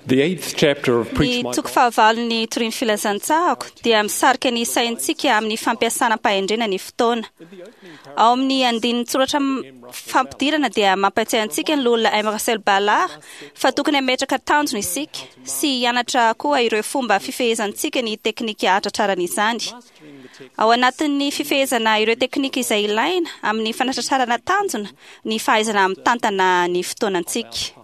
The eighth chapter of Preach Ny My toko fahavalon'ny Torin'ny Filazantsarako dia misarika ny saintsika amin'ny fampiasana am-pahendrena ny fotoana. Ao amin'ny andinin-tsoratra fampidirana dia mampatsiahy antsika ny loholona M. Russell Ballard fa tokony hametraka tanjona isika sy hianatra koa ireo fomba fifehezantsika ny teknika hahatratrarana izany. Ao anatin'ny fifehezana ireo teknika izay ilaina amin'ny fanatratrarana tanjona ny fahaizana mitantana ny fotoanantsika.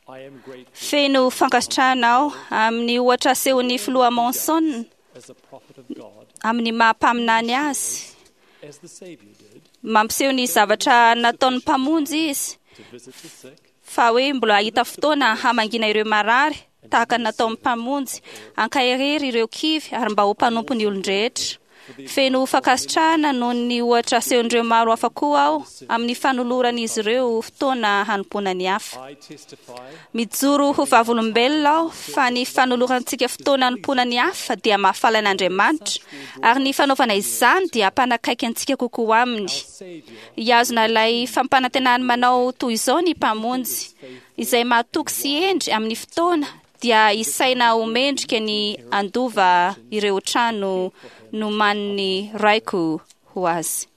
I am grateful Feno fankasitrahana aho amin'ny ohatra asehon'ny filoha Monson as a prophet of God, amin'ny maha mpaminany azy. as the Savior did, Mampiseho ny zavatra nataon'ny mpamonjy izy to visit the sick, fa hoe mbola hahita fotoana hamangiana ireo marary tahaka ny nataon'ny mpamonjy, ankaherery ireo kivy ary mba ho mpanompo ny olon-drehetra. Feno fankasitrahana noho ny ohatra asehon'ireo maro hafa koa aho amin'ny fanoloran'izy ireo fotoana hanompoana ny hafa. I testify Mijoro ho vavolombelona aho fa ny fanolorantsika fotoana hanompoana ny hafa dia mahafaly an'Andriamanitra ary ny fanaovana izany dia hampanakaiky antsika kokoa aminy. Savior Hihazona ilay fampanantenany manao toy izao ny mpamonjy izay mahatoky sy hendry amin'ny fotoana dia isaina ho mendrika ny handova ireo trano nomanin'ny raiko ho azy.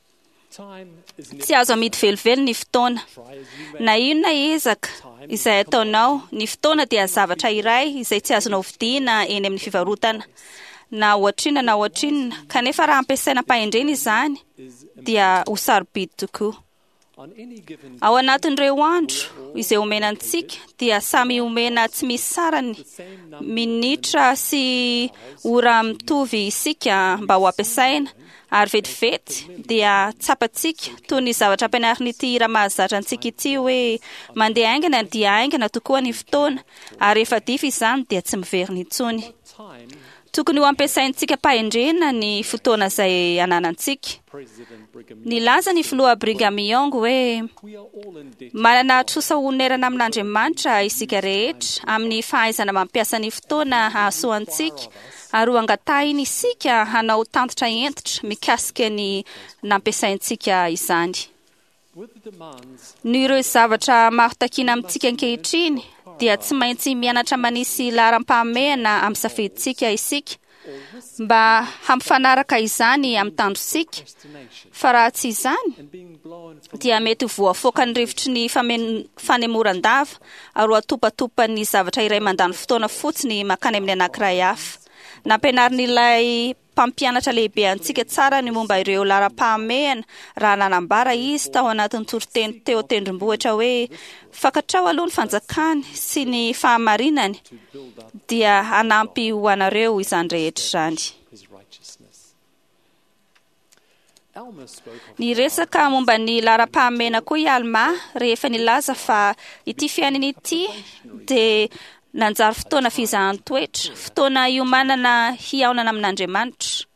Time is Tsy azo amidy velively ny fotoana. try as you may. Na inona ezaka izay ataonao, ny fotoana dia zavatra iray izay tsy azonao vidiana eny amin'ny fivarotana. Na ohatrinona na ohatrinona, kanefa raha ampiasaina am-pahendrena izany dia ho sarobidy tokoa. On any given Ao anatin'ireo andro izay omena antsika dia samy omena tsy misy sarany minitra sy ora mitovy isika mba ho ampiasaina ary vetivety dia tsapantsika toy ny zavatra ampianarin'ity hira mahazatra antsika ity hoe mandeha haingana dia haingana tokoa ny fotoana ary rehefa dify izany dia tsy miverina intsony. time, Tokony ho ampiasaintsika am-pahendrena ny fotoana izay ananantsika. President Brigham, Nilaza ny filoha Brigham Young hoe we are all in debt. Manana trosa honerana amin'Andriamanitra isika rehetra amin'ny fahaizana mampiasa ny fotoana hahasoa antsika ary ho angatahiny isika hanao tantitra hentitra mikasika ny nampiasaintsika izany. With the demands Noho ireo zavatra maro takiana amintsika ankehitriny dia tsy maintsy mianatra manisy laharam-pahamehana amin'ny safidintsika isika mba hampifanaraka izany amin'ny tandrosika destination fa raha tsy izany and being blown from dia mety ho voafoakan'ny rivotry ny fanemoran-dava ary ho atopatopan'ny zavatra iray mandany fotoana fotsiny mankany amin'ny anankiray hafa. Nampianarin'ilay mpampianatra lehibe antsika tsara ny momba ireo laharam-pahamehana raha nanambara izy tao anatin'ny toriteny teo an-tendrombohitra hoe fantatrao aloha ny fanjakany sy ny fahamarinany to build up dia hanampy ho anareo izany rehetra izany. his righteousness. Alma spoke of Niresaka momba ny laharam-pahamehana koa i Alma rehefa nilaza fa ity fiainana ity dia nanjary fotoana fizahan-toetra, fotoana hiomanana hihaonana amin'Andriamanitra.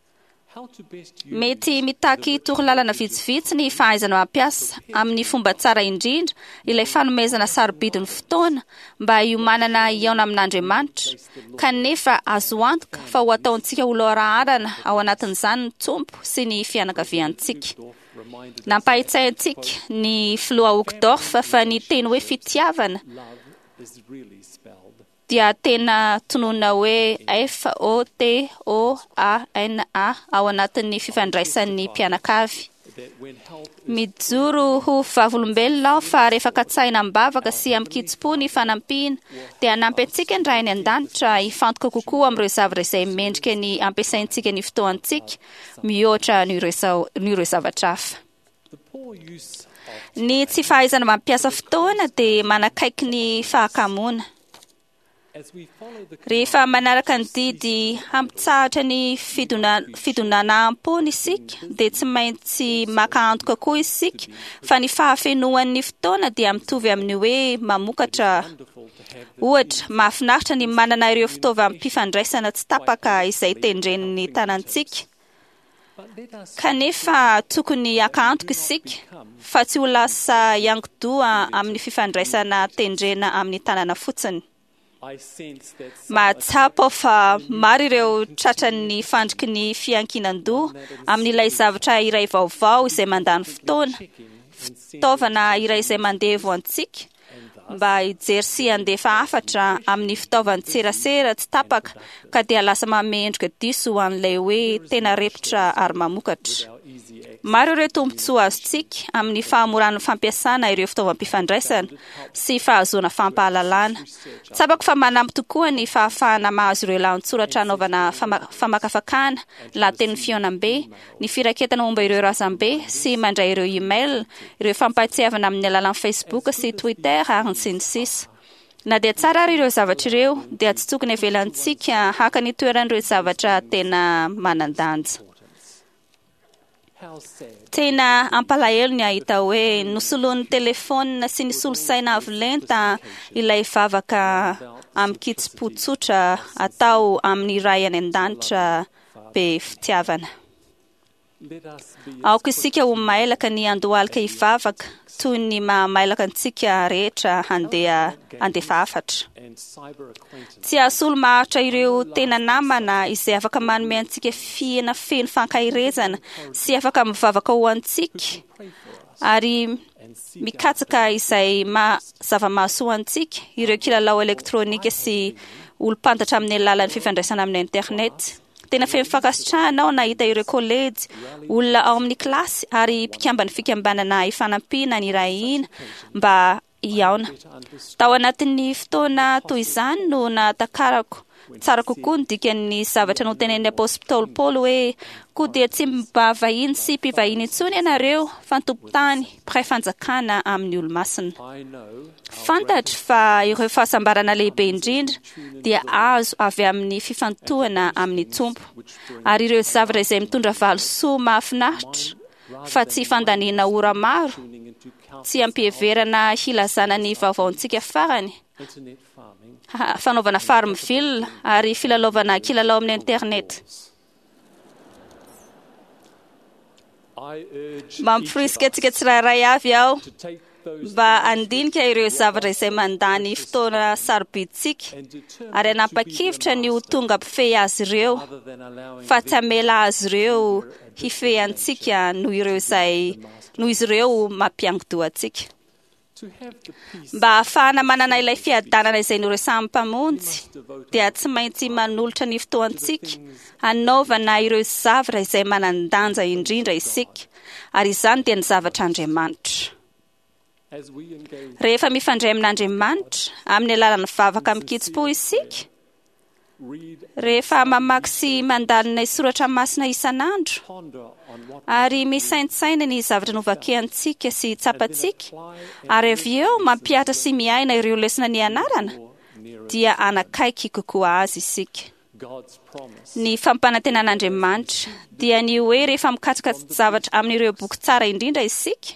how to best use Mety mitaky torolalana vitsivitsy ny fahaizana mampiasa amin'ny fomba tsara indrindra ilay fanomezana sarobidy ny fotoana mba hiomanana hihaona amin'Andriamanitra. Kanefa azo antoka fa ho ataontsika ho loharaharana ao anatin'izany ny Tompo sy ny fianakaviantsika. Dorf reminded Nampahatsiahy antsika ny filoha Uchtdorf fa ny teny hoe fitiavana love is really spelled dia tena tononina hoe F O T O A N A ao anatin'ny fifandraisan'ny mpianakavy. that when help is Mijoro ho vavolombelona aho fa rehefa katsahina am-bavaka sy amin-kitsim-po ny fanampiana dia hanampy antsika ny Ray any an-danitra hifantoka kokoa amin'ireo zavatra izay mendrika ny ampiasaintsika ny fotoantsika mihoatra noho ireo noho ireo zavatra hafa. the poor use of Ny tsy fahaizana mampiasa fotoana dia manakaiky ny fahakamoana. as we follow the Rehefa manaraka ny didy hampitsahatra ny fidonanaham-pony isika dia tsy maintsy maka antoka koa isika fa ny fahafenoan'ny fotoana dia mitovy amin'ny hoe mamokatra. wonderful to have the Ohatra, mahafinaritra ny manana ireo fitaovam-pifandraisana tsy tapaka izay tendren'ny tanantsika. but let us Kanefa tokony haka antoka isika fa tsy ho lasa hianki-doha amin'ny fifandraisana tendrena amin'ny tanana fotsiny. I sense that some Mahatsapa aho fa maro ireo tratran'ny fandriky ny fiankinan-doha amin'ilay zavatra iray vaovao izay mandany fotoana, checking and fitaovana iray izay mandevo antsika mba hijery sy handefa hafatra amin'ny fitaovan-tserasera tsy tapaka, ka dia lasa manome endrika diso ho an'ilay hoe tena repotra ary mamokatra. Maro ireo tombontsoa azontsika amin'ny fahamoran'ny fampiasana ireo fitaovam-pifandraisana sy fahazoana fampahalalana. Tsapako fa manampy tokoa ny fahafahana mahazo ireo lahatsoratra hanaovana famakafakana, lahatenin'ny fihaonambe, ny firaketana momba ireo razambe sy mandray ireo email, ireo fampahatsiahivana amin'ny alalan'ny Facebook sy Twitter ary ny sy ny sisa. Na dia tsara ary ireo zavatra ireo, dia tsy tokony avelantsika haka ny toeran'ireo zavatra tena manan-danja. Tena ampalahelo ny hahita hoe nosoloan'ny telefaonina sy ny solosaina avo lenta ilay vavaka amin-kitsim-po tsotra atao amin'ny Ray any An-danitra be fitiavana. Aoka isika ho mailaka ny handohalika hivavaka toy ny maha mailaka antsika rehetra handeha handefa hafatra. Tsy hahasolo maharitra ireo tena namana izay afaka manome antsika fihena feno fankaherezana sy afaka mivavaka ho antsika ary mikatsaka izay maha zava-mahasoa antsika ireo kilalao elektronika sy olom-pantatra amin'ny alalan'ny fifandraisana amin'ny internet. Tena feno fankasitrahana aho nahita ireo kolejy, olona ao amin'ny kilasy ary mpikamban'ny fikambanana ifanampiana nirahina mba hihaona. Tao anatin'ny fotoana toy izany no nahatakarako tsara kokoa ny dikan'ny zavatra notenenin'ny apostoly Paoly hoe, Koa dia tsy mba vahiny sy mpivahiny intsony ianareo, fa tompon-tany, mpiray fanjakana amin'ny olo-masina. Fantatro fa ireo fahasambarana lehibe indrindra dia azo avy amin'ny fifantohana amin'ny Tompo, ary ireo zavatra izay mitondra valisoa mahafinaritra, fa tsy fandaniana ora maro, tsy ampiheverana hilazana ny vaovaontsika farany, fanaovana farmville ary filalaovana kilalao amin'ny internet. Mamporisika antsika tsirairay avy aho mba handinika ireo zavatra izay mandany fotoana sarobidintsika ary hanapa-kevitra ny ho tonga mpifehy azy ireo, fa tsy hamela azy ireo hifehy antsika noho ireo izay noho izy ireo mampiangodoha antsika. Mba hahafahana manana ilay fiadanana izay noresahan'ny Mpamonjy, dia tsy maintsy manolotra ny fotoantsika hanaovana ireo zavatra izay manan-danja indrindra isika, ary izany dia ny zavatr'Andriamanitra. Rehefa mifandray amin'Andriamanitra amin'ny alalan'ny vavaka amin-kitsim-po isika, rehefa mamaky sy mandalina ny soratra masina isan'andro ary misaintsaina ny zavatra novakiantsika sy tsapantsika, ary avy eo mampihatra sy miaina ireo lesona nianarana, dia hanakaiky kokoa azy isika. Ny fampanantenan'Andriamanitra dia ny hoe rehefa mikatsaka zavatra amin'ireo boky tsara indrindra isika,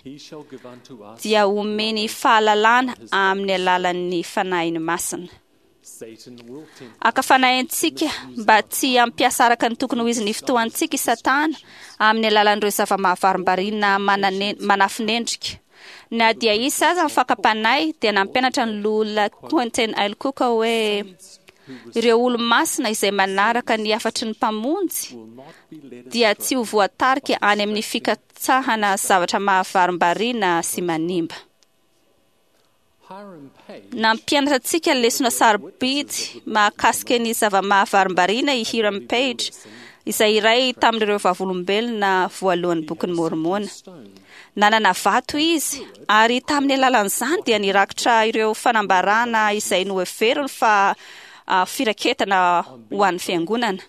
dia homeny fahalalana amin'ny alalan'ny Fanahiny Masina. Haka fanahy antsika mba tsy hampiasa araka ny tokony ho izy ny fotoantsika i Satana amin'ny alalan'ireo zava-mahavarimbarina manafinendrika. Na dia hisy aza ny fakam-panahy dia nampianatra ny Loholona Quentin L. Cook hoe ireo olo-masina izay manaraka ny hafatry ny Mpamonjy dia tsy ho voatarika any amin'ny fikatsahana zavatra mahavarimbarina sy manimba. Nampianatra antsika lesona sarobidy mahakasika ny zava-mahavarimbarina i Hiram Page, izay iray tamin'ireo vavolombelona voalohan'ny Bokin'i Môrmôna. Nanana vato izy, ary tamin'ny alalan'izany dia nirakitra ireo fanambarana izay noheveriny fa firaketana ho an'ny Fiangonana.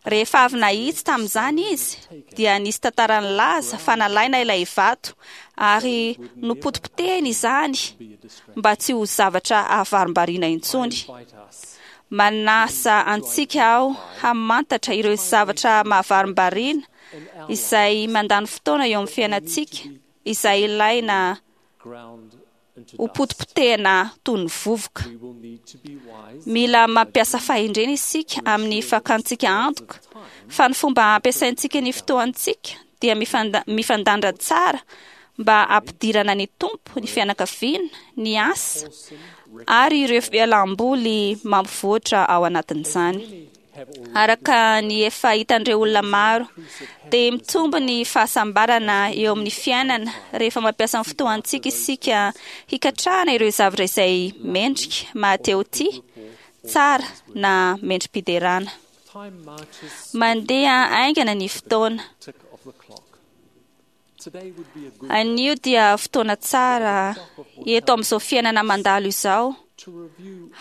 Rehefa avy nahitsy tamin'izany izy, dia nisy tantara nilaza fa nalaina ilay vato ary nopotipotehina izany mba tsy ho zavatra ahavarimbariana intsony. Manasa antsika aho hamantatra ireo zavatra mahavarimbariana izay mandany fotoana eo amin'ny fiainantsika, izay ilaina ho potipotehina toy ny vovoka. Mila mampiasa fahendrena isika amin'ny fakantsika antoka fa ny fomba ampiasaintsika ny fotoantsika dia mifandanja tsara mba hampidirana ny Tompo, ny fianakaviana, ny asa ary ireo fialam-boly mampivoatra ao anatin'izany. Araka ny efa hitan'ireo olona maro, dia mitombo ny fahasambarana eo amin'ny fiainana rehefa mampiasa ny fotoantsika isika hikatrahana ireo zavatra izay mendrika, mahatehotia, tsara na mendri-piderana. Mandeha haingana ny fotoana. Anio dia fotoana tsara eto amin'izao fiainana mandalo izao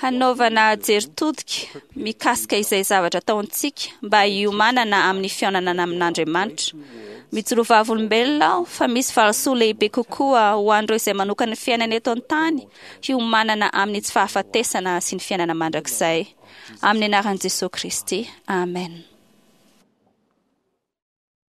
hanaovana jery todika mikasika izay zavatra ataontsika mba hiomanana amin'ny fihaonana amin'Andriamanitra. Mijoro vavolombelona aho fa misy valisoa lehibe kokoa ho an'ireo izay manokana ny fiainana eto an-tany hiomanana amin'ny tsy fahafatesana sy ny fiainana mandrakizay. Amin'ny anaran'i Jesosy Kristy. Amen.